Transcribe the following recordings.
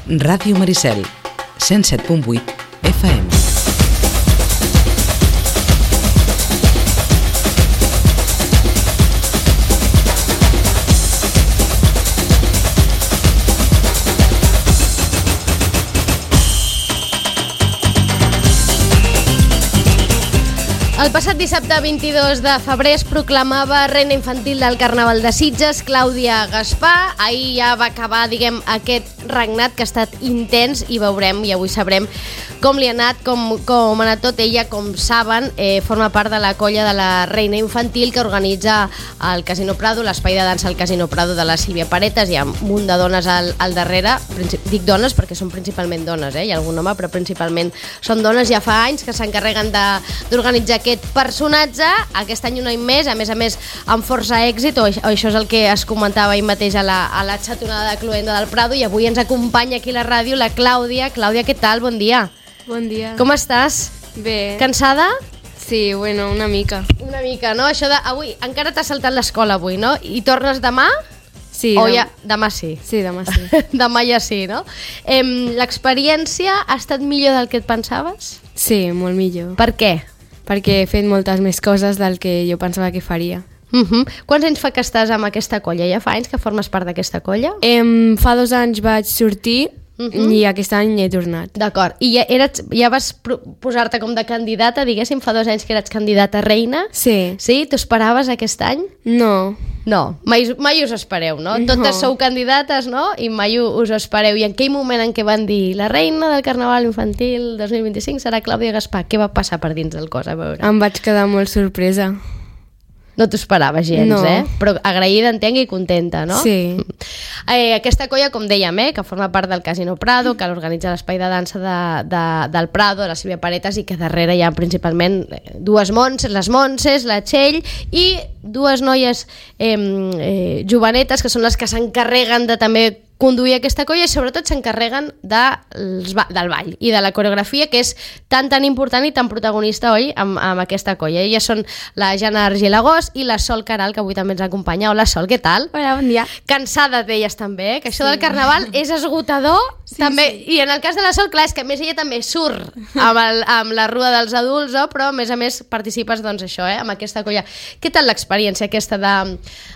Ràdio Maricel, 107.8 FM. El passat dissabte 22 de febrer es proclamava reina infantil del Carnaval de Sitges, Clàudia Gaspar. Ahir ja va acabar, aquest regnat que ha estat intens i veurem, i avui sabrem com li ha anat, com ha anat tot. Ella, com saben, forma part de la colla de la reina infantil que organitza el Casino Prado, l'espai de dansa al Casino Prado de la Sílvia Paretas. Hi ha un munt de dones al darrere, dic dones perquè són principalment dones, hi ha algun home, però principalment són dones. Ja fa anys que s'encarreguen d'organitzar aquest personatge, aquest any un any més, a més amb força èxit, o això és el que es comentava ahir mateix a la xatonada de Cloenda del Prado, i avui ens acompanya aquí a la ràdio la Clàudia. Clàudia, què tal? Bon dia. Bon dia. Com estàs? Bé. Cansada? Sí, bueno, una mica. Una mica, no? Això de... Avui, encara t'has saltat l'escola avui, no? I tornes demà? Sí. O ja... Demà sí? Sí, demà sí. Demà ja sí, no? L'experiència ha estat millor del que et pensaves? Sí, molt millor. Per què? Perquè he fet moltes més coses del que jo pensava que faria. Quants anys fa que estàs amb aquesta colla? Ja fa anys que formes part d'aquesta colla? Fa 2 anys vaig sortir i aquest any he tornat. D'acord. I ja vas posar-te com de candidata, diguéssim, fa 2 anys que eres candidata a reina? Sí. Sí? T'ho esperaves aquest any? No. No, mai us espereu, no? Totes sou candidates, no? I mai us espereu. I en aquell moment en què van dir la reina del Carnaval Infantil 2025 serà Clàudia Gaspar, què va passar per dins del cos? A veure. Em vaig quedar molt sorpresa. No t'ho esperaves gens, no. Però agraïda, entenc, i contenta, no? Sí. Aquesta colla, com dèiem, que forma part del Casino Prado, que l'organitza l'espai de dansa del Prado, de la Sílvia Paretas, i que darrere hi ha principalment dues Montses, les Montses, la Txell, i dues noies jovenetes, que són les que s'encarreguen de també conduir aquesta colla, i sobretot s'encarreguen del ball i de la coreografia, que és tan important i tan protagonista, oi, amb aquesta colla. Elles són la Jana Argilagós i la Sol Caral, que avui també ens acompanya. Hola, Sol, què tal? Hola, bon dia. Cansada d'elles també, que això del Carnaval és esgotador, també. Sí. I en el cas de la Sol, clar, és que a més ella també surt amb la rua dels adults, però a més participes, doncs, això, amb aquesta colla. Què tal l'experiència aquesta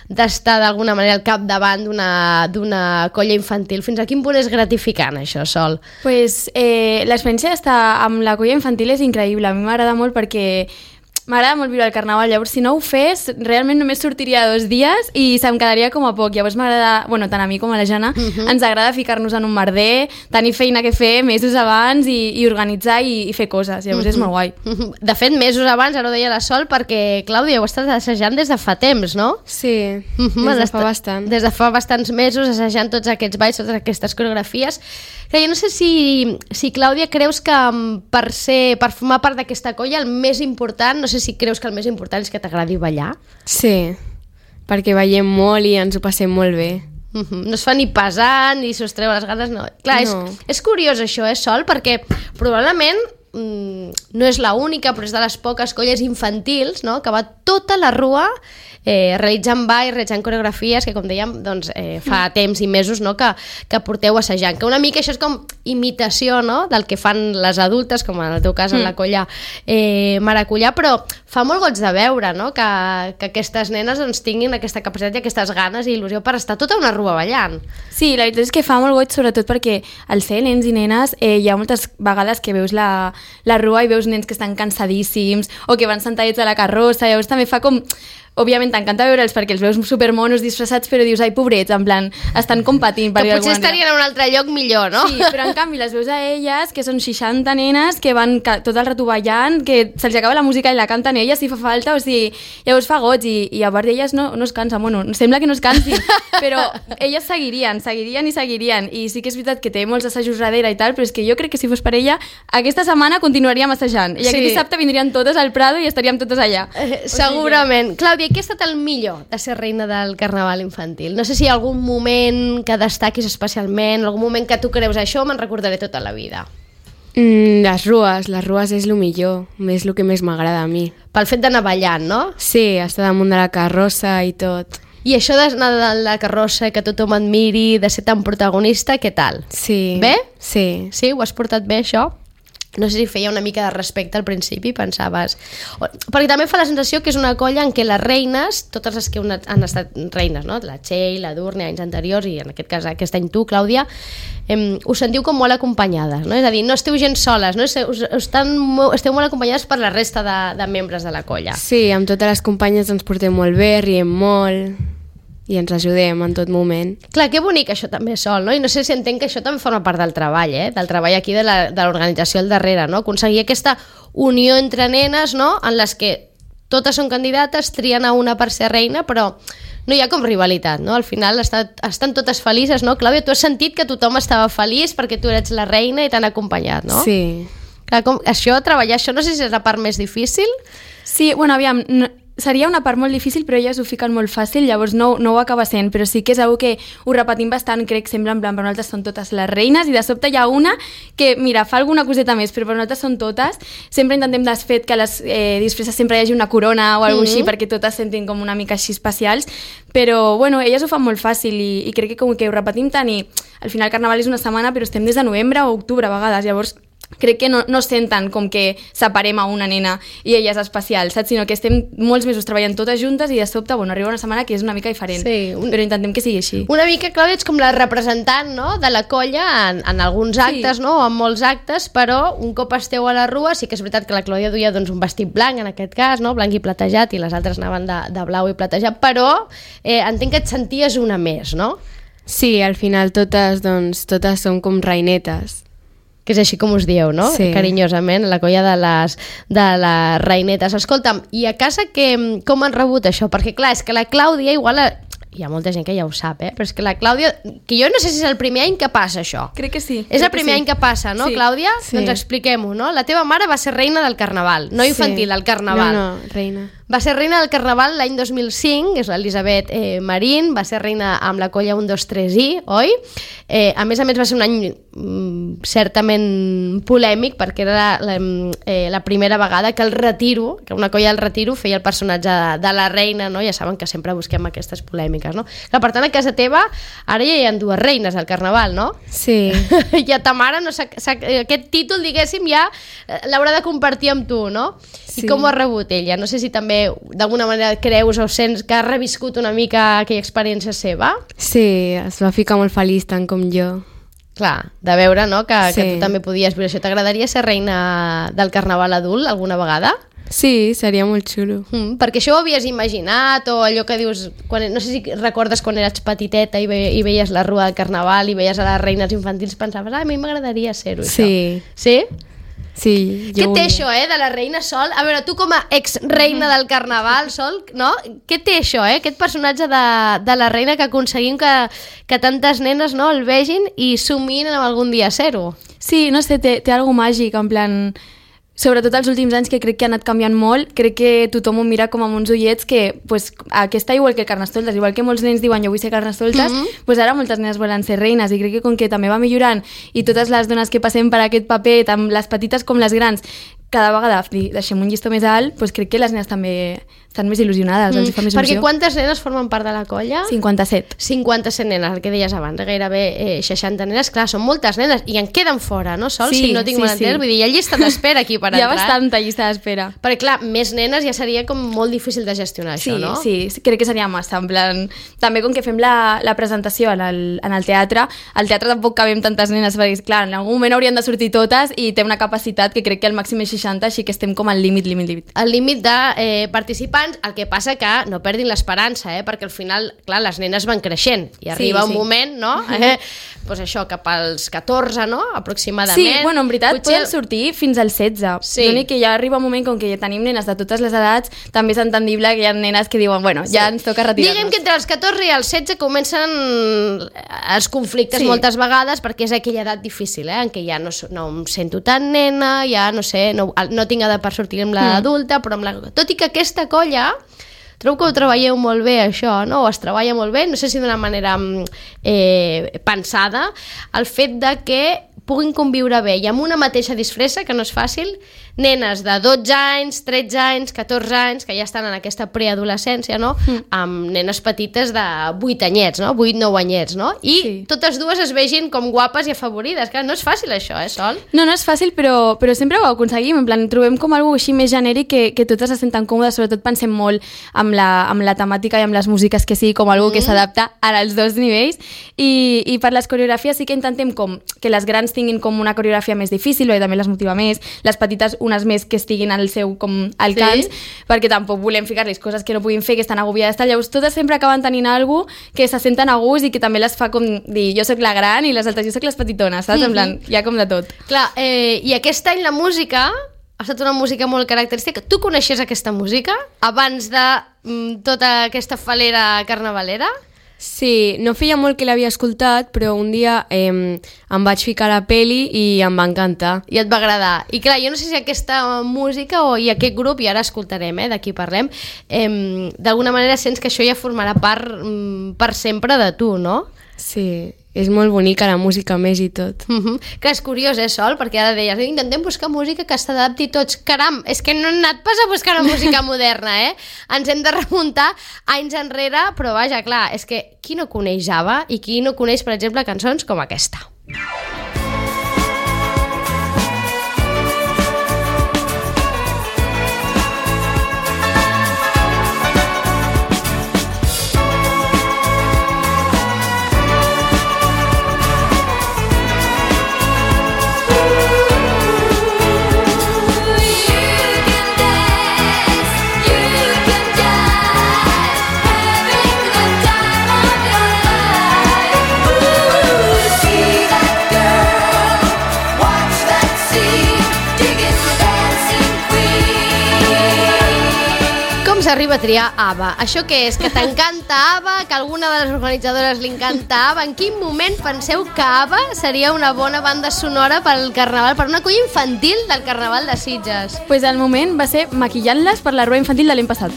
d'estar d'alguna manera al capdavant d'una colla infantil? Fins a quin punt és gratificant això, Sol? Pues l'experiència d'estar amb la colla infantil és increïble. A mi m'agrada molt perquè m'agrada molt viure el Carnaval. Llavors, si no ho fes, realment només sortiria 2 dies i se'm quedaria com a poc. Llavors m'agrada, tant a mi com a la Jana, ens agrada ficar-nos en un merder, tenir feina que fer mesos abans i organitzar i fer coses. Llavors és molt guai. De fet, mesos abans, ara ho deia la Sol, perquè, Clàudia, ho estàs assajant des de fa temps, no? Sí, des de fa bastant. Des de fa bastants mesos, assajant tots aquests balls, totes aquestes coreografies. Que jo no sé si Clàudia, creus que per formar part d'aquesta colla el més important, no sé si creus que el més important és que t'agradi ballar? Sí, perquè ballem molt i ens ho passem molt bé. No es fa ni pesant, ni s'us treu les ganes, no. Clar, no. És curiós això, Sol? Perquè probablement no és l'única, però és de les poques colles infantils, no?, que va tota la rua realitzant balls, realitzant coreografies, que com dèiem, doncs, fa temps i mesos, no?, que porteu assajant. Que una mica això és com imitació, no?, del que fan les adultes, com en el teu cas en la colla Maracullà, però fa molt goig de veure, no?, que aquestes nenes doncs, tinguin aquesta capacitat i aquestes ganes i il·lusió per estar tota una rua ballant. Sí, la veritat és que fa molt goig, sobretot perquè al ser nens i nenes hi ha moltes vegades que veus la rua i veus nens que estan cansadíssims o que van sentadets a la carrossa. Llavors també fa com... Òbviament t'encanta veure'ls perquè els veus supermonos disfressats, però dius, ai, pobrets, en plan, estan competint. Que potser estarien a un altre lloc millor, no? Sí, però en canvi les veus a elles, que són 60 nenes, que van tot el rato ballant, que se'ls acaba la música i la canten elles si fa falta, o sigui, llavors fa goig, i a part d'elles no es cansen, sembla que no es cansin, però elles seguirien, i sí que és veritat que té molts assajos darrere i tal, però és que jo crec que si fos per ella, aquesta setmana continuaríem assajant, i aquest dissabte vindrien totes al Prado i estaríem totes allà. Segurament. Clàudia, què ha estat el millor de ser reina del Carnaval Infantil? No sé si hi ha algun moment que destaquis especialment, algun moment que tu creus això me'n recordaré tota la vida. Les rues és el millor, el que més m'agrada a mi. Pel fet d'anar ballant, no? Sí, estar damunt de la carrossa i tot. I això d'anar de la carrossa, que tothom et miri, de ser tan protagonista, què tal? Sí. Bé? Sí. Sí? Ho has portat bé, això? No sé si feia una mica de respecte al principi, pensaves... Perquè també fa la sensació que és una colla en què les reines, totes les que han estat reines, no? La Txell, la Durne, anys anteriors, i en aquest cas aquest any tu, Clàudia, us sentiu com molt acompanyades, no? És a dir, no esteu gens soles, no? Esteu molt acompanyades per la resta de membres de la colla. Sí, amb totes les companyes ens portem molt bé, riem molt i ens ajudem en tot moment. Clar, que bonic això també sol, no? I no sé si entenc que això també forma part del treball, del treball aquí de l'organització al darrere, no? Aconseguir aquesta unió entre nenes, no? En les que totes són candidates, trien a una per ser reina, però no hi ha com rivalitat, no? Al final estan totes felices, no? Clàudia, tu has sentit que tothom estava feliç perquè tu eres la reina i t'han acompanyat, no? Sí. Clar, treballar això, no sé si és la part més difícil. Sí, bueno, aviam, seria una part molt difícil, però elles ho fiquen molt fàcil, llavors no ho acaba sent, però sí que és algo que ho repetim bastant, crec, sembla en plan, per nosaltres són totes les reines, i de sobte hi ha una que, mira, fa alguna coseta més, però per nosaltres són totes. Sempre intentem desfet que a les disfresses sempre hi hagi una corona o alguna així, perquè totes sentin com una mica així especials, però, bueno, elles ho fan molt fàcil i crec que com que ho repetim tant, i al final el Carnaval és una setmana, però estem des de novembre o octubre a vegades, llavors crec que no senten com que separem a una nena i ella és especial, saps? Sinó que estem molts mesos treballant totes juntes i de sobte, bueno, arriba una setmana que és una mica diferent, però intentem que sigui així. Una mica, Clàudia, ets com la representant, no?, de la colla en alguns actes, no?, o en molts actes, però un cop esteu a la rua, sí que és veritat que la Clàudia duia doncs, un vestit blanc, en aquest cas, no?, blanc i platejat, i les altres anaven de blau i platejat, però entenc que et senties una més, no? Sí, al final totes som com reinetes. Que és així com us dieu, no? Sí. Carinyosament, la colla de les reinetes. Escolta'm, i a casa com han rebut això? Perquè clar, és que la Clàudia igual... Hi ha molta gent que ja ho sap, però és que la Clàudia... Que jo no sé si és el primer any que passa això. Crec que sí. És el primer any que passa, no, sí. Clàudia? Sí. Doncs expliquem-ho, no? La teva mare va ser reina del Carnaval, no infantil, del Carnaval. No, reina. Va ser reina del Carnaval l'any 2005, és l'Elisabet Marín, va ser reina amb la colla 1, 2, 3 i, oi? A més va ser un any certament polèmic, perquè era la primera vegada que que una colla del Retiro feia el personatge de la reina, no? Ja saben que sempre busquem aquestes polèmiques, no? Clar, per tant, a casa teva ara ja hi ha dues reines al Carnaval, no? Sí. I a ta mare aquest títol, diguéssim, ja l'haurà de compartir amb tu, no? Sí. I com ho ha rebut ella? No sé si també d'alguna manera creus o sents que ha reviscut una mica aquella experiència seva? Sí, es va ficar molt feliç, tant com jo. Clar, de veure, no?, que Sí. tu també podies viure això. T'agradaria ser reina del Carnaval adult alguna vegada? Sí, seria molt xulo. Perquè això ho havies imaginat, o allò que dius, no sé si recordes quan eres petiteta i veies la rua del Carnaval i veies a les reines infantils, pensaves, a mi m'agradaria ser-ho, Sí. això. Sí? Sí, Què jo té això, de la reina Sol? A veure, tu com a ex-reina del Carnaval, Sol, no? Què té això, aquest personatge de la reina que aconseguim que tantes nenes, no, el vegin i somin en algun dia ser-ho? Sí, no sé, té algo màgic, en plan... Sobretot els últims anys, que crec que ha anat canviant molt, crec que tothom ho mira com amb uns ullets que, pues, aquesta igual que Carnestoltes, igual que molts nens diuen jo vull ser Carnestoltes, pues ara moltes nenes volen ser reines, i crec que com que també va millorant i totes les dones que passem per aquest paper, tant les petites com les grans, cada vegada deixem un llistó més alt, pues crec que les nenes també estan més il·lusionades, els fa més Perquè il·lusió. quantes nenes formen part de la colla? 57. 57 nenes, el que deies abans, gairebé 60 nenes, clar, són moltes nenes, i en queden fora, no, Sol? Sí, si no tinc mal entès, vull dir, hi ha llista d'espera aquí per Hi ha entrar. bastanta llista d'espera. Perquè, clar, més nenes ja seria com molt difícil de gestionar, això, no? Sí, crec que seria massa, en plan... També com que fem la presentació en el teatre, al teatre tampoc cabem tantes nenes, perquè, clar, en algun moment haurien de sortir totes i té una capacitat que crec que el màxim és 60, així que estem com al límit. El límit de participants, el que passa que no perdin l'esperança, perquè al final, clar, les nenes van creixent i arriba un moment, no? Pues això, cap als 14, no? Aproximadament. Sí, bueno, en veritat poden sortir fins als 16. Sí. L'únic que ja arriba un moment com que ja tenim nenes de totes les edats, també és entendible que hi ha nenes que diuen, bueno, ja ens toca retirar-nos. Diguem que entre els 14 i els 16 comencen els conflictes moltes vegades, perquè és aquella edat difícil, en què ja no em sento tan nena, ja no sé, no tinc edat per sortir amb l'adulta, però tot i que aquesta colla trobo que ho treballeu molt bé, això, no? O es treballa molt bé, no sé si d'una manera pensada, el fet de que puguin conviure bé i amb una mateixa disfressa, que no és fàcil, nenes de 12 anys, 13 anys, 14 anys, que ja estan en aquesta preadolescència, no? Amb nenes petites de 8 anyets, no? 8-9 anyets, no? I totes dues es vegin com guapes i afavorides. Clar, no és fàcil això, Sol? No és fàcil, però sempre ho aconseguim. En plan, trobem com algo així més genèric que totes se senten còmodes, sobretot pensem molt amb la temàtica i amb les músiques, que sigui com algo que s'adapta als dos nivells. I per les coreografies sí que intentem com que les grans tinguin com una coreografia més difícil, perquè també les motiva més, les petites unes més que estiguin al seu com alcance, perquè tampoc volem ficar-los coses que no puguin fer, que estan agobiades, llavors totes sempre acaben tenint alguna que se senten a gust i que també les fa com dir, jo sóc la gran i les altres, jo sóc les petitones, saps? En plan, hi ha com de tot. Clar, i aquest any la música ha estat una música molt característica. Tu coneixies aquesta música abans de tota aquesta falera carnavalera? Sí, no feia molt que l'havia escoltat, però un dia em vaig ficar a la peli i em va encantar. I et va agradar. I clar, jo no sé si aquesta música i aquest grup, i ara escoltarem, d'aquí parlem, d'alguna manera sents que això ja formarà part per sempre de tu, no? Sí, és molt bonica la música més i tot. Que és curiós, Sol? Perquè ara deies, intentem buscar música que s'adapti tots. Caram, és que no hem anat pas a buscar una música moderna, Ens hem de remuntar anys enrere, però vaja, clar, és que qui no coneix ABBA i qui no coneix, per exemple, cançons com aquesta? S'arriba a triar ABBA. Això què és? Que t'encanta ABBA? Que alguna de les organitzadores li encanta ABBA? En quin moment penseu que ABBA seria una bona banda sonora pel Carnaval, per una colla infantil del Carnaval de Sitges? Pues al moment va ser maquillant-les per la roba infantil de l'any passat.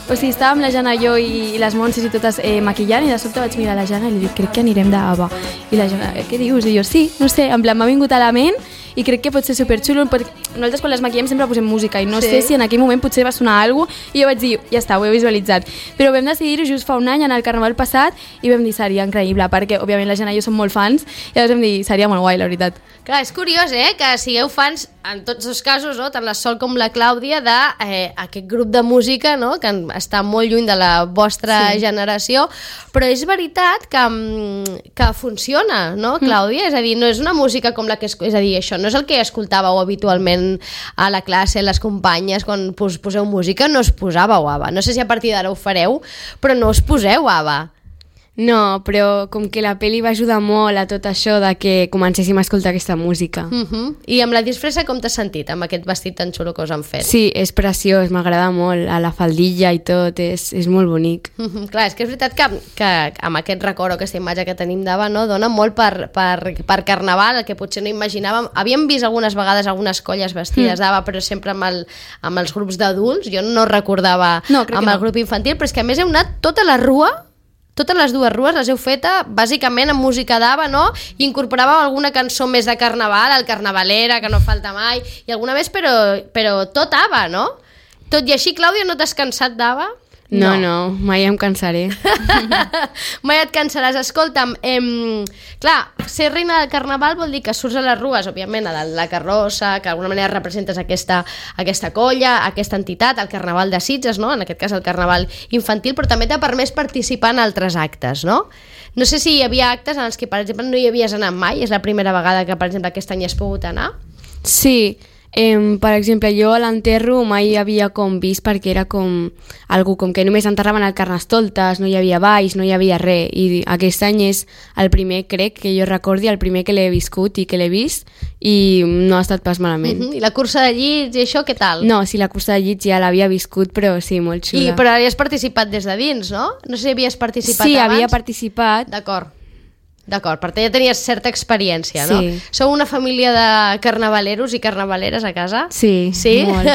O sigui, estàvem la Jana, jo i les Montses i totes maquillant, i de sobte vaig mirar la Jana i li dic, crec que anirem d'ABBA. I la Jana, què dius? I jo, sí, no sé, en plan, m'ha vingut a la ment i crec que pot ser superxulo, perquè nosaltres quan les maquillem sempre posem música i no sé si en aquell moment potser va sonar alguna cosa, i jo vaig dir, ja està, ho he visualitzat. Però vam decidir-ho just fa un any, en el Carnaval passat, i vam dir, seria increïble, perquè òbviament la Jana i jo som molt fans, i llavors vam dir, seria molt guai, la veritat. Clar, és curiós, que sigueu fans, en tots els casos, no? Tant la Sol com la Clàudia, d'aquest grup de música, no? Que està molt lluny de la vostra generació, però és veritat que funciona, no, Clàudia? És a dir, no és una música com la que... És a dir, això no és el que escoltàveu habitualment a la classe, les companyes, quan poseu música, no us posàveu ABBA. No sé si a partir d'ara ho fareu, però no us poseu ABBA. No, però com que la pel·li va ajudar molt a tot això de que comencéssim a escoltar aquesta música. I amb la disfressa com t'has sentit, amb aquest vestit tan xulo que us han fet? Sí, és preciós, m'agrada molt, a la faldilla i tot, és molt bonic. Clar, és que és veritat que amb aquest record o aquesta imatge que tenim d'ABBA, no, dona molt per Carnaval, el que potser no imaginàvem. Havíem vist algunes vegades algunes colles vestides d'ABBA, però sempre amb els grups d'adults. Jo no recordava amb el grup infantil, però és que a més heu anat tota la rua. Totes les dues rues les heu feta bàsicament amb música d'ABBA, no? I incorporàveu alguna cançó més de Carnaval, el Carnavalera, que no falta mai, i alguna més, però tot ABBA, no? Tot i així, Clàudia, no t'has cansat d'ABBA? No, mai em cansaré. Mai et cansaràs. Escolta'm, clar, ser reina del Carnaval vol dir que surts a les rues, òbviament, a la carrossa, que d'alguna manera representes aquesta colla, aquesta entitat, el Carnaval de Sitges, no? En aquest cas el Carnaval infantil, però també t'ha permès participar en altres actes, no? No sé si hi havia actes en els que, per exemple, no hi havies anat mai, és la primera vegada que, per exemple, aquest any has pogut anar? Sí, per exemple, jo a l'enterro mai havia com vist, perquè era com algú com que només enterraven el Carnestoltes, no hi havia balls, no hi havia res, i aquest any és el primer, crec, que jo recordi, el primer que l'he viscut i que l'he vist, i no ha estat pas malament. I la cursa de llits i això, què tal? No, sí, la cursa de llits ja l'havia viscut, però sí, molt xula. Però hi has participat des de dins, no? No sé si havies participat abans. Sí, abans. havia participat. D'acord. D'acord, per tant ja tenies certa experiència, no? Sí. Sou una família de carnavaleros i carnavaleres a casa? Sí, molt.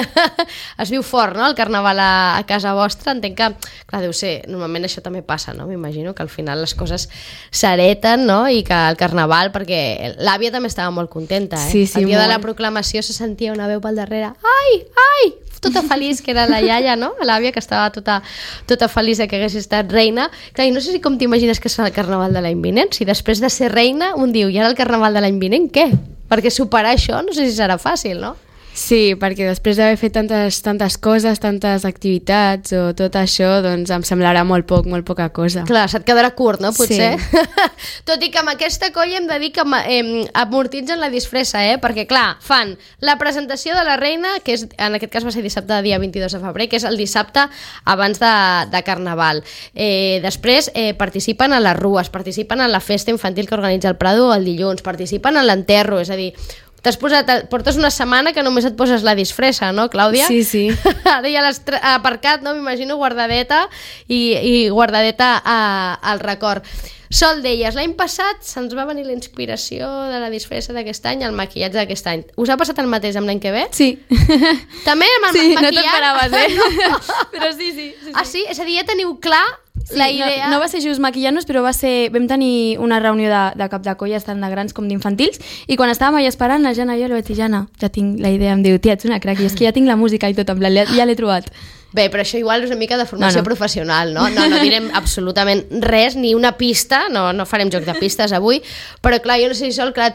Es viu fort, no?, el carnaval a casa vostra. Entenc que, clar, deu ser, normalment això també passa, no? M'imagino que al final les coses s'areten, no?, i que el carnaval, perquè l'àvia també estava molt contenta, Sí, sí, el dia de la molt. proclamació se sentia una veu pel darrere, ai, ai, tota feliç, que era la iaia, no?, l'àvia, que estava tota feliç de que hagués estat reina. Clar, i no sé si com t'imagines que serà el carnaval de l'any vinent, si després de ser reina un diu, i ara el carnaval de l'any vinent, què? Perquè superar això no sé si serà fàcil, no? Sí, perquè després d'haver fet tantes coses, tantes activitats o tot això, doncs em semblarà molt poca cosa. Clar, se't quedarà curt, no?, potser. Sí. Tot i que amb aquesta colla hem de dir que amortitzen la disfressa, perquè, clar, fan la presentació de la reina, que és, en aquest cas va ser dissabte, dia 22 de febrer, que és el dissabte abans de Carnaval. Després participen a les rues, participen en la festa infantil que organitza el Prado el dilluns, participen en l'enterro, és a dir, portes una setmana que només et poses la disfressa, no, Clàudia? Sí, sí. Ara ja l'has aparcat, no? M'imagino guardadeta i guardadeta al record. Sol, deies, l'any passat se'ns va venir la inspiració de la disfressa d'aquest any, el maquillatge d'aquest any. Us ha passat el mateix amb l'any que ve? Sí. També amb el Sí, no maquillat? t'esperaves, No. Però sí. Ah, sí? És a dir, ja teniu clar la idea... No va ser just maquillant-nos, però vam tenir una reunió de cap de colla, tant de grans com d'infantils, i quan estàvem allà esperant, la Jana i jo li vaig dir, Jana, ja tinc la idea, em diu, tia, ets una crac, i és que ja tinc la música i tot, en plan, ja l'he trobat. Bé, però això igual és una mica de formació No. professional, no? No direm absolutament res, ni una pista, no farem joc de pistes avui, però clar, jo no sé si Sol, clar,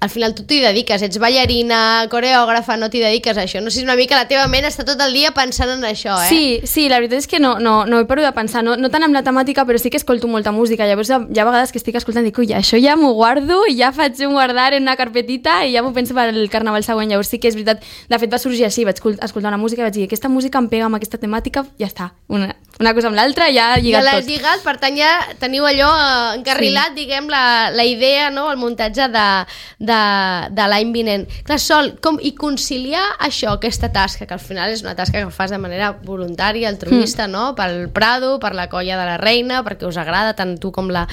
al final tu t'hi dediques, ets ballarina, coreògrafa, no t'hi dediques a això, no sé si una mica la teva ment està tot el dia pensant en això, Sí, la veritat és que no he parat de pensar, no tant amb la temàtica, però sí que escolto molta música, llavors hi ha vegades que estic escoltant i dic, ui, això ja m'ho guardo i ja faig un guardar en una carpetita i ja m'ho penso per al carnaval següent, llavors sí que és veritat, de fet va sorgir així, vaig escoltar una música i vaig dir, aquesta música em pega amb aquesta temàtica, ja està, una cosa amb l'altra, ja ha lligat ja l'has tot. lligat, per tant ja teniu allò encarrilat, diguem, la idea, no?, el muntatge de l'any vinent. Clar, Sol, i conciliar això, aquesta tasca, que al final és una tasca que fas de manera voluntària, altruista, no?, pel Prado, per la colla de la reina, perquè us agrada tant tu com la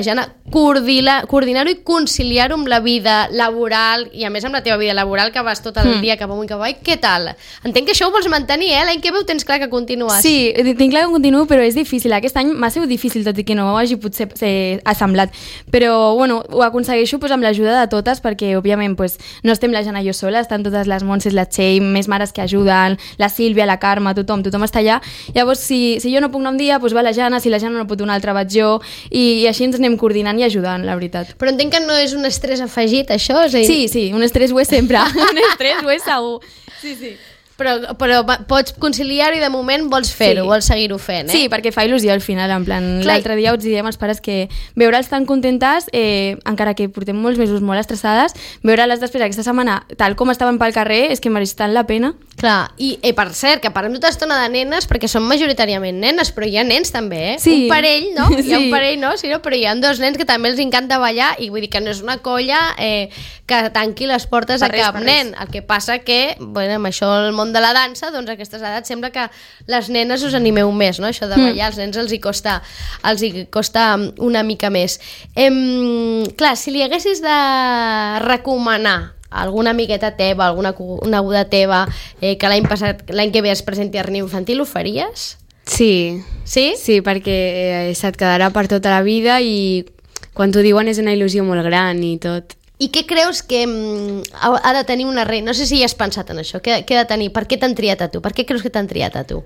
Jana, coordinar-ho i conciliar-ho amb la vida laboral, i a més amb la teva vida laboral, que vas tot el dia cap amunt i cap avall, què tal? Entenc que això ho vols mantenir, l'any que ve ho tens clar que continues. Sí, tinc clar que continuo, però és difícil. Aquest any m'ha sigut difícil, tot i que no ho hagi potser assemblat. Però, bueno, ho aconsegueixo amb l'ajuda de totes, perquè, òbviament, no estem la Jana i jo sola, estan totes les Montses, la Txell, més mares que ajuden, la Sílvia, la Carme, tothom està allà. Llavors, si jo no puc anar un dia, va la Jana, si la Jana no pot un altre, vaig jo, i així ens anem coordinant i ajudant, la veritat. Però entenc que no és un estrès afegit, això? És a dir... Sí, un estrès ho és sempre. Un estrès ho és segur. Sí. Però pots conciliar-ho i de moment vols fer-ho, vols seguir-ho fent, Sí, perquè fa il·lusió al final, en plan, l'altre dia us diem als pares que veure'ls tan contentes, encara que portem molts mesos molt estressades, veure-les després aquesta setmana tal com estaven pel carrer és que mereix tant la pena. Clar, i per cert, que parlem tota estona de nenes, perquè són majoritàriament nenes, però hi ha nens també, Sí. Un parell, no? Hi ha un Sí. parell, no? Sí, no? Però hi ha 2 nens que també els encanta ballar, i vull dir que no és una colla que tanqui les portes a cap nen. El que passa que, bueno, amb això el món de la dansa, doncs a aquestes edats sembla que les nenes us animeu més, no? Això de ballar, als nens els hi costa una mica més. Clar, si li haguessis de recomanar alguna amigueta teva, alguna coneguda teva que l'any que ve es presenti a Reina Infantil, ho faries? Sí. Sí? Sí, perquè se't quedarà per tota la vida i quan t'ho diuen és una il·lusió molt gran i tot. I què creus que ha de tenir una reina? No sé si hi has pensat en això. Què ha de tenir? Per què t'han triat a tu? Per què creus que t'han triat a tu?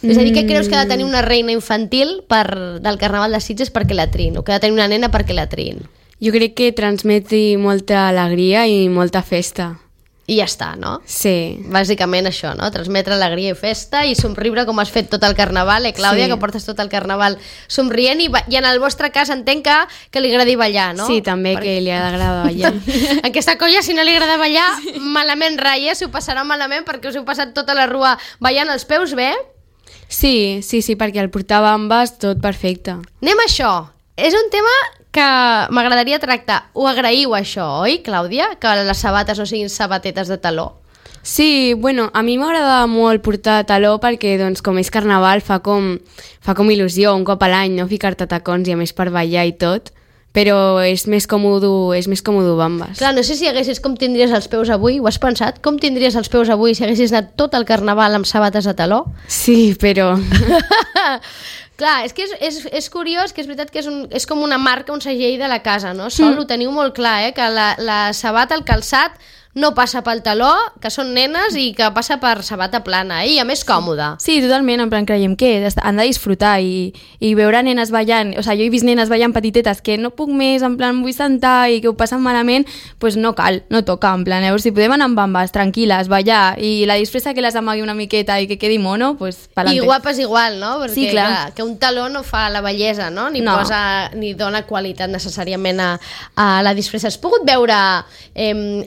És a dir, què creus que ha de tenir una reina infantil del Carnaval de Sitges perquè la triïn? O que ha de tenir una nena perquè la triïn? Jo crec que transmeti molta alegria i molta festa. I ja està, no? Sí. Bàsicament això, no? Transmetre alegria i festa i somriure com has fet tot el Carnaval, Clàudia, Sí. que portes tot el Carnaval somrient i en el vostre cas entenc que li agradi ballar, no? Sí, també que li agrada ballar. Aquesta colla, si no li agrada ballar, malament ratlla, s'ho passarà malament perquè us heu passat tota la rua ballant els peus bé. Sí, perquè el portava ambes tot perfecte. Anem a això. És un tema que m'agradaria tractar. Ho agraïu, això, oi, Clàudia? Que les sabates no siguin sabatetes de taló. Sí, bueno, a mi m'agrada molt portar taló perquè, doncs, com és carnaval, fa com il·lusió un cop a l'any, no? Ficar-te tacons i a més per ballar i tot. però és més còmode Bambas. Clar, no sé si haguessis com tindries els peus avui, ho has pensat? Com tindries els peus avui si haguessis anat tot el carnaval amb sabates a taló? Sí, però... Clar, és que és curiós, que és veritat que és com una marca, un segell de la casa, no? Ho teniu molt clar, que la sabata, el calçat, no passa pel taló, que són nenes i que passa per sabata plana, i a més còmoda. Sí, totalment, en plan, creiem que han de disfrutar i veure nenes ballant, o sigui, jo he vist nenes ballant petitetes que no puc més, en plan, vull sentar i que ho passen malament, doncs no cal, no toca, en plan, llavors si podem anar amb bambes, tranquil·les, ballar, i la disfressa que les amagui una miqueta i que quedi mono, doncs pa'lante. I guapes igual, no? Perquè, sí, clar, que un taló no fa la bellesa, no? Ni dona qualitat necessàriament a la disfressa. Has pogut veure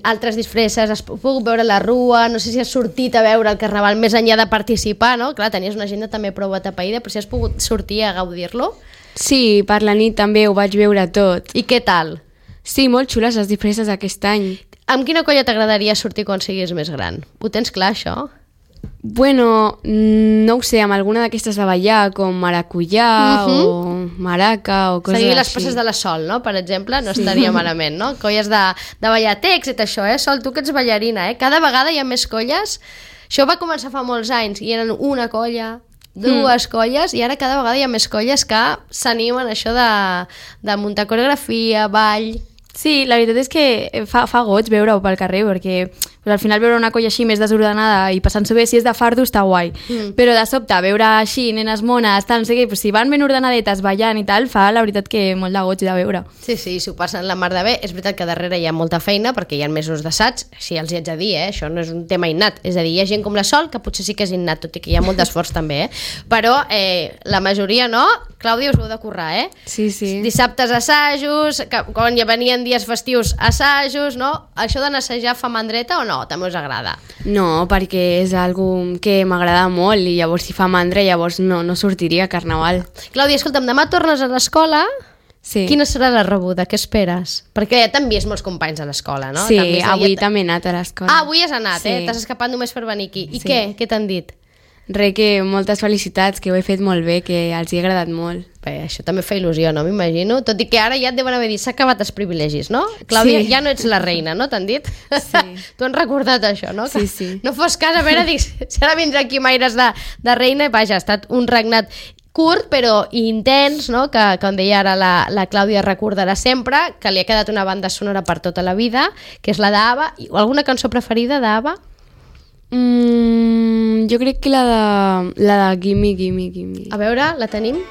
altres disfresses, has pogut veure la rua, no sé si has sortit a veure el carnaval més enllà de participar, no? Clar, tenies una agenda també prou atapeïda, però si has pogut sortir a gaudir-lo. Sí, per la nit també ho vaig veure tot. I què tal? Sí, molt xules les disfresses aquest any. Amb quina colla t'agradaria sortir quan siguis més gran? Ho tens clar, això? Bueno, no ho sé, amb alguna d'aquestes de ballar, com maracuyà o maraca o coses així. Seguir les passes de la Sol, no? Per exemple, no estaria malament, no? Colles de ballar èxit, això, Sol, tu que ets ballarina, Cada vegada hi ha més colles. Això va començar fa molts anys i eren una colla, dues colles, i ara cada vegada hi ha més colles que s'animen a això de muntar coreografia, ball... Sí, la veritat és que fa goig veure-ho pel carrer, perquè al final veure una colla així més desordenada i passant-s'ho bé, si és de fardo està guai, però de sobte veure així nenes mones, tal, no sé què, però si van ben ordenadetes ballant i tal, fa la veritat que molt de goig de veure. Sí, s'ho passen la mar de bé. És veritat que darrere hi ha molta feina perquè hi ha mesos d'assaig, així els hi haig de dir, això no és un tema innat, és a dir, hi ha gent com la Sol que potser sí que és innat, tot i que hi ha molt d'esforç també, però la majoria no. Clàudia, us heu de currar, Sí. Dissabtes assajos, quan ja venien dies festius assajos, no? Això d'anar-assajar fa mandreta o no? També us agrada? No, perquè és algo que m'agrada molt i llavors si fa mandra llavors no sortiria a Carnaval. Clàudia, escolta'm, demà tornes a l'escola. Sí. Quina serà la rebuda? Què esperes? Perquè ja t'han vist molts companys a l'escola, no? Sí, avui també he anat a l'escola. Avui has anat, sí. T'has escapat només per venir aquí. I sí. què? Què t'han dit? Que moltes felicitats, que ho he fet molt bé, que els hi ha agradat molt. Bé, això també fa il·lusió, no? M'imagino. Tot i que ara ja et deuen haver dit, s'ha acabat els privilegis, no? Clàudia, sí. Ja no ets la reina, no? T'han dit? Sí. T'ho han recordat, això, no? Sí. No fos cas, a veure, dic, si ara vindrà aquí Maires de reina, i vaja, ha estat un regnat curt però intens, no? Que com deia ara la Clàudia recordarà sempre, que li ha quedat una banda sonora per tota la vida, que és la d'Ava. Alguna cançó preferida d'Ava? Jo crec que la de Gimme, Gimme, Gimme. A veure, la tenim?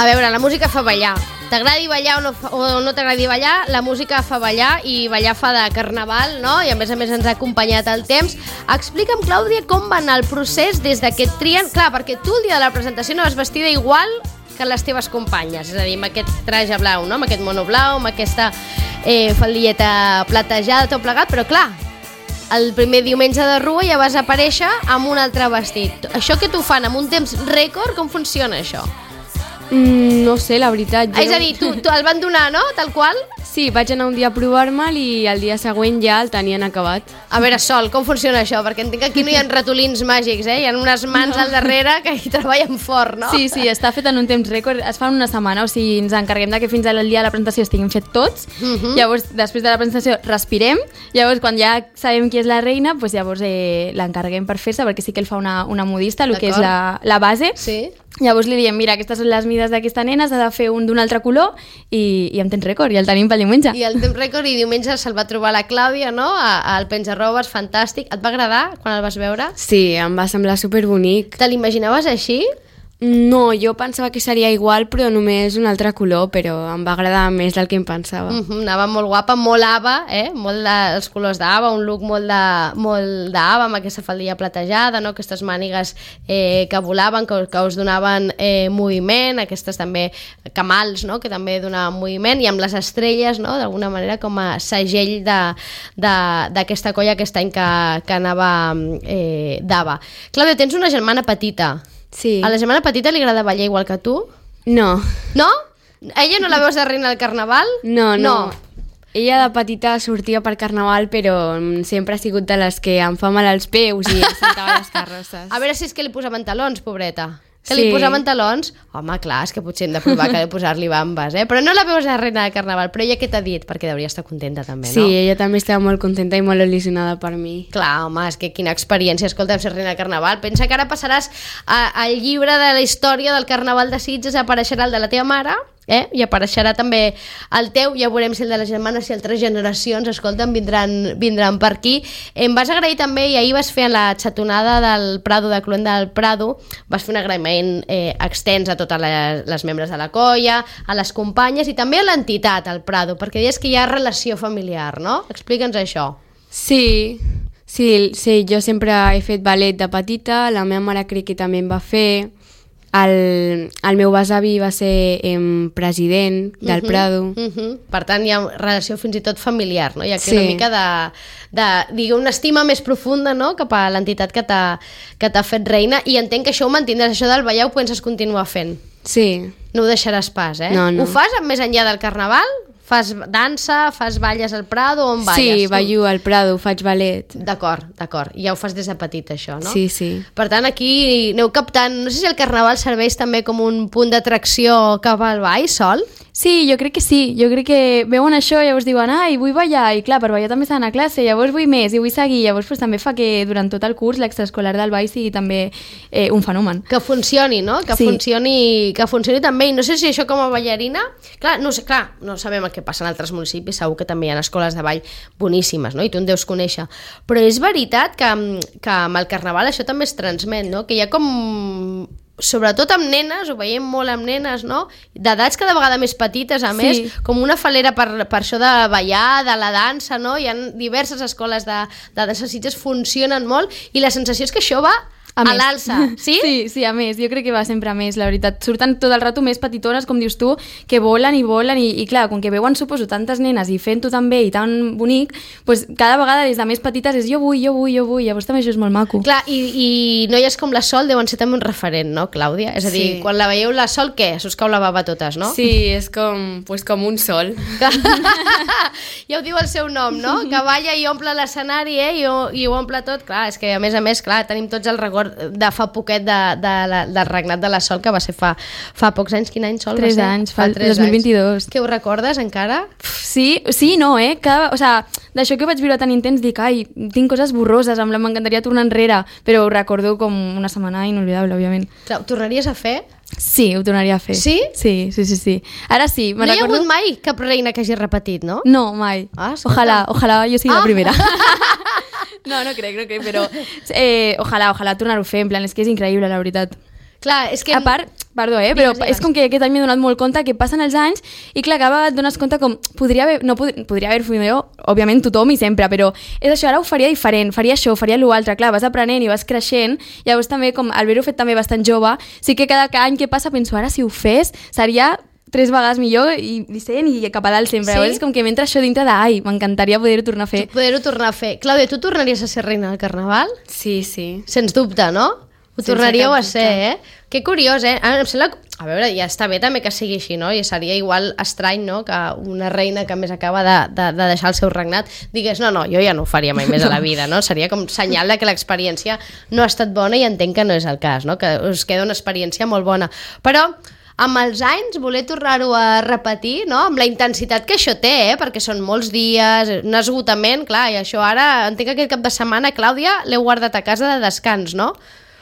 A veure, la música fa ballar. T'agradi ballar o no t'agradi ballar, la música fa ballar i ballar fa de carnaval, no? I a més ens ha acompanyat el temps. Explica'm, Clàudia, com va anar el procés des que et trien... Clar, perquè tu el dia de la presentació no vas vestida igual que les teves companyes, és a dir, amb aquest traje blau, no? Amb aquest mono blau, amb aquesta faldilleta platejada, tot plegat, però clar, el primer diumenge de Rua ja vas aparèixer amb un altre vestit. Això que t'ho fan amb un temps rècord, com funciona això? No sé, la veritat. És a dir, tu el van donar, no? Tal qual? Sí, vaig anar un dia a provar-me'l i el dia següent ja el tenien acabat. A veure, Sol, com funciona això? Perquè entenc que aquí no hi ha ratolins màgics, Hi ha unes mans al darrere que hi treballen fort, no? Sí, està fet en un temps rècord. Es fa en una setmana, o sigui, ens encarreguem que fins al dia de la presentació estiguin fet tots. Llavors, després de la presentació, respirem. Llavors, quan ja sabem qui és la reina, doncs llavors l'encarreguem per fer-se, perquè sí que el fa una modista, el que és la base. Sí. Llavors li diem, mira, aquestes són les mides d'aquesta nena, s'ha de fer un d'un altre color i en temps rècord, i el tenim pel diumenge. I el temps rècord, i diumenge se'l va trobar la Clàudia, no? Al penja-robes, fantàstic. Et va agradar quan el vas veure? Sí, em va semblar superbonic. Te l'imaginaves així? No, jo pensava que seria igual, però només un altre color, però em va agradar més del que em pensava. Anava molt guapa, molt ABBA, molt dels colors d'ABBA, un look molt d'ABBA, amb aquesta faldilla platejada, no? Aquestes mànigues que volaven, que us donaven moviment, aquestes també camals, no? Que també donaven moviment, i amb les estrelles, no? D'alguna manera com a segell d'aquesta colla aquest any que anava d'ABBA. Clàudia, tens una germana petita. Sí. A la germana petita li agrada ballar igual que tu? No. No? Ella no la veus de reina del carnaval? No. Ella de petita sortia per carnaval, però sempre ha sigut de les que em fa mal als peus i em sentava a les carrosses. A veure si és que li posaven talons, pobreta. Que li posaven talons? Home, clar, és que potser hem de provar que de posar-li bambes, Però no la veus de reina de carnaval. Però ella què t'ha dit? Perquè hauria estar contenta també, no? Sí, ella també estava molt contenta i molt il·lusionada per mi. Clar, home, és que quina experiència, escolta, ser reina de carnaval. Pensa que ara passaràs al llibre de la història del carnaval de Sitges, apareixerà el de la teva mare, i apareixerà també el teu, ja veurem si el de les germanes, si altres generacions, escolta'm, vindran per aquí. Em vas agrair també, i ahir vas fer en la xatonada del Prado, de Cluenda del Prado, vas fer un agraïment extens a totes les membres de la colla, a les companyes i també a l'entitat, al Prado, perquè deies que hi ha relació familiar, no? Explica'ns això. Sí, jo sempre he fet ballet de petita, la meva mare crec que també en va fer. El meu besavi va ser president del Prado. Per tant, hi ha relació fins i tot familiar, no? Hi ha aquí una mica de una estima més profunda, no? Cap a l'entitat que t'ha fet reina, i entenc que això ho mantindràs, això del ballar ho penses continuar fent. Sí. No ho deixaràs pas, No. Ho fas més enllà del carnaval? Fas dansa, fas balles al Prado, on balles? Sí, ballo al Prado, faig ballet. D'acord. Ja ho fas des de petit, això, no? Sí. Per tant, aquí aneu captant... No sé si el carnaval serveix també com un punt d'atracció cap al ball, Sol? Sí, jo crec que sí. Jo crec que veuen això i llavors diuen ai, vull ballar, i clar, per ballar també s'ha d'anar a classe, llavors vull més i vull seguir, llavors pues, també fa que durant tot el curs l'extraescolar del ball sigui també un fenomen. Que funcioni, no? Que funcioni també, i no sé si això com a ballarina... Clar, no sabem el que passa en altres municipis, segur que també hi ha escoles de ball boníssimes, no? I tu en deus conèixer. Però és veritat que amb el carnaval això també es transmet, no? Que hi ha com... sobretot amb nenes, ho veiem molt amb nenes, no? D'edats cada vegada més petites, a més, com una falera per això de ballar, de la dansa, no? Hi ha diverses escoles de dansa Sitges, funcionen molt, i la sensació és que això va a l'alça, sí? Sí, a més, jo crec que va sempre a més, la veritat. Surten tot el rato més petitones, com dius tu, que volen i clar, com que veuen, suposo, tantes nenes i fent-ho tan bé i tan bonic, pues, cada vegada des de més petites és jo vull, llavors també això és molt maco. Clar, i noies com la Sol deuen ser també un referent, no, Clàudia? És a dir, quan la veieu la Sol, què? S'us cau la bava a totes, no? Sí, és com un sol. Ja ho diu el seu nom, no? Que balla i omple l'escenari, i ho omple tot. Clar, és que a més, clar, tenim tots el record de fa poquet del regnat de la Sol, que va ser fa pocs anys. Quin any, Sol? 3 anys, fa el 2022. Que ho recordes encara? Sí, no, d'això que vaig viure tan intens, dic, ai, tinc coses borroses, m'encantaria tornar enrere, però ho recordo com una setmana inolvidable, òbviament. Ho tornaries a fer? Sí, ho tornaria a fer. Sí? Sí. Ara sí, no hi ha hagut mai cap reina que hagi repetit, no? No, mai. Ojalà jo sigui la primera. No crec, però ojalà tornar-ho a fer, en plan, és que és increïble, la veritat. Clar, és que... A part, perdó, però és com que aquest any m'he donat molt compte que passen els anys i clar, cada vegada et dones compte com podria haver fet jo, òbviament tothom i sempre, però és això, ara ho faria diferent, faria això, faria l'altre, clar, vas aprenent i vas creixent, llavors també com al haver-ho fet també bastant jove, sí que cada any que passa penso, ara si ho fes seria 3 vegades millor i 100 i cap a dalt sempre. Llavors és com que m'entra això dintre de m'encantaria poder-ho tornar a fer. Clàudia, tu tornaries a ser reina del carnaval? Sí. Sens dubte, no? Ho tornaríeu a ser, Que curiós, Em sembla... A veure, ja està bé també que sigui així, no? I seria igual estrany, no?, que una reina que més acaba de deixar el seu regnat digués, no, jo ja no ho faria mai més a la vida, no? Seria com senyal de que l'experiència no ha estat bona i entenc que no és el cas, no? Que us queda una experiència molt bona. Però amb els anys voler tornar-ho a repetir, no?, amb la intensitat que això té, perquè són molts dies, un esgotament, clar, i això ara, entenc que aquest cap de setmana, Clàudia, l'heu guardat a casa de descans, no?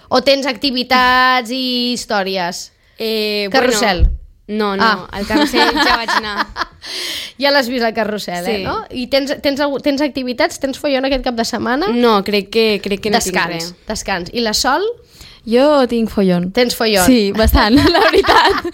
O tens activitats i històries? Carrusel? Bueno, no, al carrusel ja vaig anar. Ja l'has vist al carrusel, no? I tens activitats? Tens follon aquest cap de setmana? No, crec que no tinc res. Descans. I la Sol? Jo tinc follon. Tens follon? Sí, bastant, la veritat.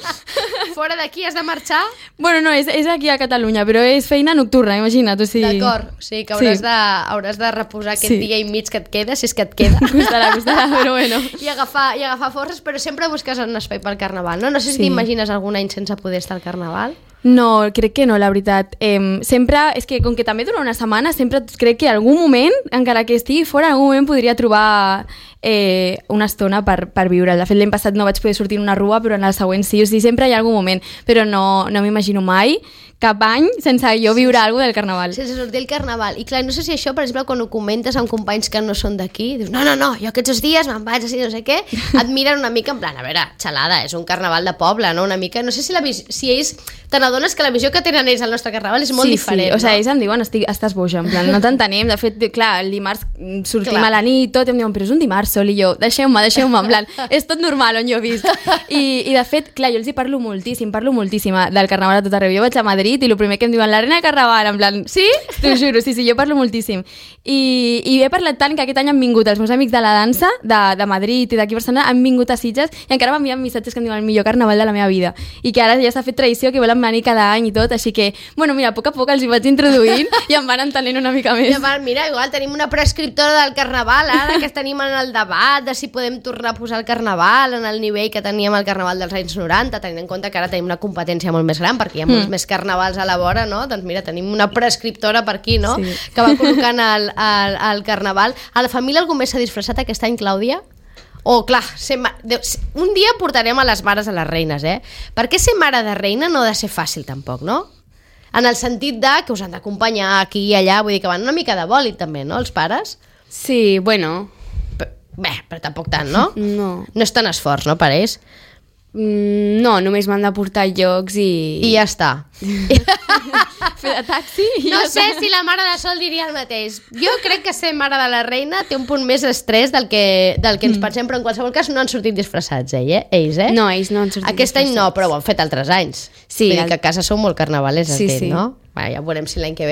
Fora d'aquí has de marxar? Bueno, no, és aquí a Catalunya, però és feina nocturna, imagina't. O sigui... D'acord, o sigui que hauràs de reposar aquest dia i mig que et queda, si és que et queda. Costarà, però bueno. I agafar forces, però sempre busques un espai pel Carnaval, no? No sé si t'imagines algun any sense poder estar al Carnaval. No, crec que no, la veritat. Sempre, és que com que també dura una setmana, sempre crec que algun moment, encara que estigui fora, en algun moment podria trobar una estona per viure. De fet, l'any passat no vaig poder sortir en una rua, però en el següent sí. O sigui, sempre hi ha algun moment, però no m'imagino mai cap any sense jo viure alguna cosa del Carnaval. Sense sortir el Carnaval. I clar, no sé si això, per exemple, quan ho comentes amb companys que no són d'aquí, dius, no, jo aquests dies me'n vaig així, no sé què, et miren una mica en plan, a veure, xalada, és un Carnaval de poble, no? Una mica, no sé si ells te n'adones que la visió que tenen ells al nostre Carnaval és molt diferent, no? O sigui, ells em diuen, estàs boja, en plan, no t'entenem. De fet, clar, el dimarts sortim a la nit, tot, i em diuen, però és un dimarts sol, i jo, deixeu-me, en plan, és tot normal on jo visc. I de fet, clar, jo els hi parlo moltíssim del Carnaval a tot arreu. Jo vaig a Madrid i el primer que em diuen, la reina de Carnaval, en plan, sí? T'ho juro, sí, jo parlo moltíssim. I he parlat tant que aquest any han vingut els meus amics de la dansa, de Madrid i d'aquí a Barcelona, han vingut a Sitges i encara m'envien missatges que em diuen el millor Carnaval de la meva vida. I que ara ja s'ha fet tradició, que volen venir cada any i tot, així que, bueno, mira, a poc els hi vaig introduint i em van entenent una mica més. Mira, igual tenim una prescriptora del Carnaval, ara que tenim en el debat de si podem tornar a posar el Carnaval en el nivell que teníem al Carnaval dels anys 90, tenint en compte que ara tenim una competència molt més gran, perquè hi ha molts més carnavals a la vora, no? Doncs mira, tenim una prescriptora per aquí, no? Sí. Que va col·locant el Carnaval. A la família algú més s'ha disfressat aquest any, Clàudia? Clar, un dia portarem a les mares a les reines, perquè ser mare de reina no ha de ser fàcil tampoc, no? En el sentit que us han d'acompanyar aquí i allà, vull dir que van una mica de bòlit també, no, els pares? Sí, bueno. Però tampoc tant, no? No. No és tan esforç, no, per ells? No, només m'han de portar llocs i ja està. Fer de taxi i no sé si la mare de Sol diria el mateix. Jo crec que ser mare de la reina té un punt més d'estrès del que ens pensem, però en qualsevol cas no han sortit disfressats, ells, No, ells no han sortit Aquest any no, però ho han fet altres anys. Sí. Vull dir que a casa sou molt carnavalers, sí. no? Ja veurem si l'any que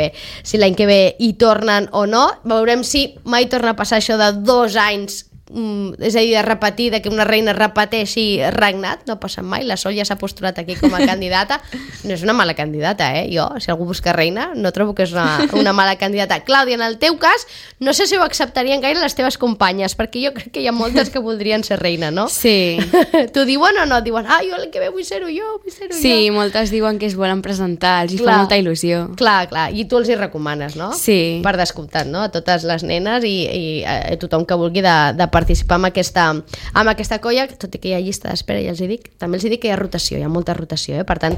ve hi tornen o no. Veurem si mai torna a passar això de 2 anys, és a dir, de repetir, que una reina repeteixi regnat, no passa mai. La Sol ja s'ha postulat aquí com a candidata. No és una mala candidata, jo, si algú busca reina, no trobo que és una mala candidata. Clàudia, en el teu cas, no sé si ho acceptarien gaire les teves companyes, perquè jo crec que hi ha moltes que voldrien ser reina, no? Sí. T'ho diuen o no? Et diuen, jo l'any que ve vull ser-ho jo, Sí, moltes diuen que es volen presentar, els hi fa molta il·lusió. Clar, i tu els hi recomanes, no? Sí. Per descomptat, no? A totes les nenes i a tothom que vulgui de participar amb aquesta colla, tot i que hi ha llista d'espera, ja els hi dic, també els hi dic que hi ha rotació, hi ha molta rotació, per tant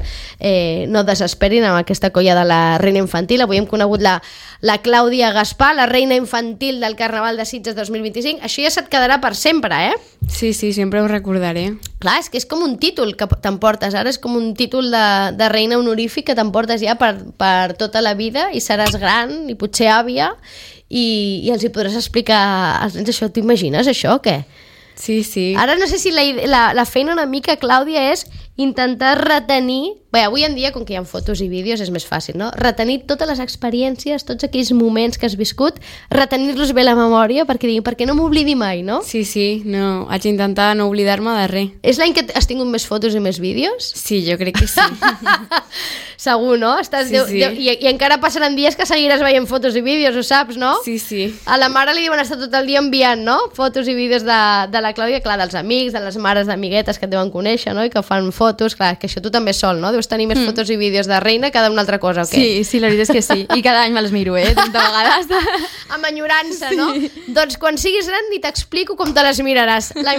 no desesperin amb aquesta colla de la reina infantil. Avui hem conegut la Clàudia Gaspar, la reina infantil del Carnaval de Sitges 2025. Això ja se't quedarà per sempre, Sí, sempre ho recordaré. Clar, és que és com un títol que t'emportes ara, és com un títol de reina honorífic que t'emportes ja per tota la vida i seràs gran i potser àvia i els hi podràs explicar als nens això. T'imagines això o què? Sí. Ara no sé si la feina una mica, Clàudia, és intentar retenir... Bé, avui en dia, com que hi ha fotos i vídeos, és més fàcil, no? Retenir totes les experiències, tots aquells moments que has viscut, retenir-los bé a la memòria perquè no m'oblidi mai, no? Sí, no, haig d'intentar no oblidar-me de res. És l'any que has tingut més fotos i més vídeos? Sí, jo crec que sí. Segur, no? I encara passaran dies que seguiràs veient fotos i vídeos, ho saps, no? Sí. A la mare li deuen estar tot el dia enviant, no? Fotos i vídeos de la Clàudia, clar, dels amics, de les mares d'amiguetes que et deuen conèixer, no? I que fan fotos, clar, que això tu també sol, no? Deus tenir més fotos i vídeos de reina que d'una altra cosa, o què? Sí, la veritat és que sí. I cada any me les miro, 30 vegades. Amb enyorança, no? Doncs quan siguis gran ni t'explico com te les miraràs. La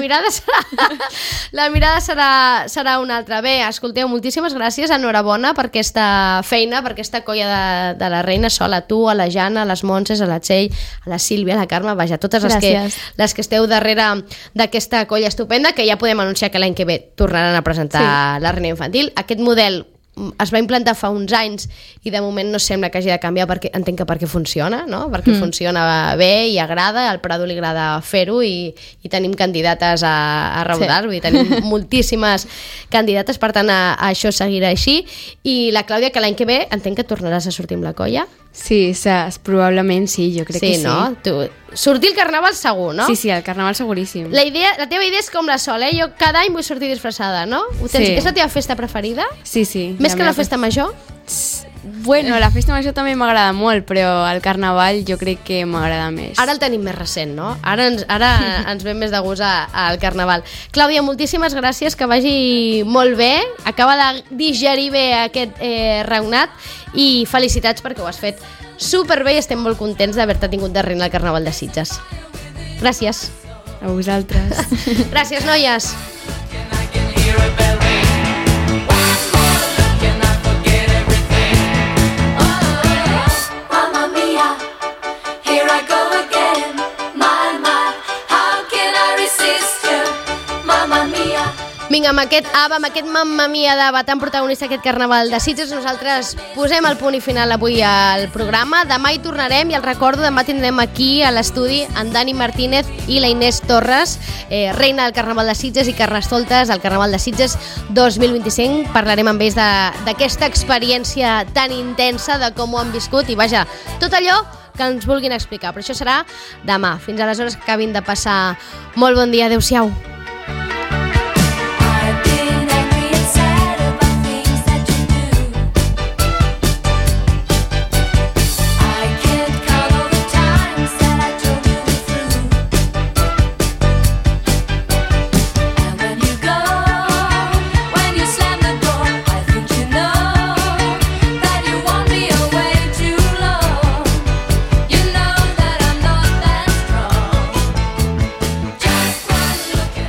mirada serà una altra. Bé, escolteu, moltíssimes gràcies, enhorabona per aquesta feina, per aquesta colla de la reina Sol, a tu, a la Jana, a les Montses, a la Txell, a la Sílvia, a la Carme, vaja, totes les que esteu darrere d'aquesta colla estupenda, que ja podem anunciar que l'any que ve tornaran a presentar la reina infantil. Aquest model es va implantar fa uns anys i de moment no sembla que hagi de canviar, perquè entenc que perquè funciona, no? Perquè funciona bé i agrada, al Prado li agrada fer-ho i tenim candidates a raudar, vull dir, tenim moltíssimes candidates, per tant això seguirà així. I la Clàudia, que l'any que ve entenc que tornaràs a sortir amb la colla. Sí, probablement sí, jo crec que sí. Sí, no? Sortir al carnaval segur, no? Sí, al carnaval seguríssim. La teva idea és com la Sol, Jo cada any vull sortir disfressada, no? Sí. És la teva festa preferida? Sí. Més que la festa major? Bueno, la festa major també m'agrada molt, però el carnaval jo crec que m'agrada més. Ara el tenim més recent, no? Ara ens ve més de gust al carnaval. Clàudia, moltíssimes gràcies, que vagi molt bé, acaba de digerir bé aquest regnat i felicitats perquè ho has fet superbé i estem molt contents d'haver-te tingut de reina al Carnaval de Sitges. Gràcies. A vosaltres. Gràcies, noies. Vinga, amb aquest ABBA, amb aquest Mamma Mia d'ABBA tan protagonista aquest Carnaval de Sitges, nosaltres posem el punt i final avui al programa. Demà hi tornarem i el recordo, demà tindrem aquí a l'estudi en Dani Martínez i la Inés Torres, reina del Carnaval de Sitges i Carnestoltes al Carnaval de Sitges 2025. Parlarem amb ells d'aquesta experiència tan intensa, de com ho han viscut i vaja, tot allò que ens vulguin explicar. Però això serà demà. Fins aleshores, que acabin de passar molt bon dia. Adéu-siau.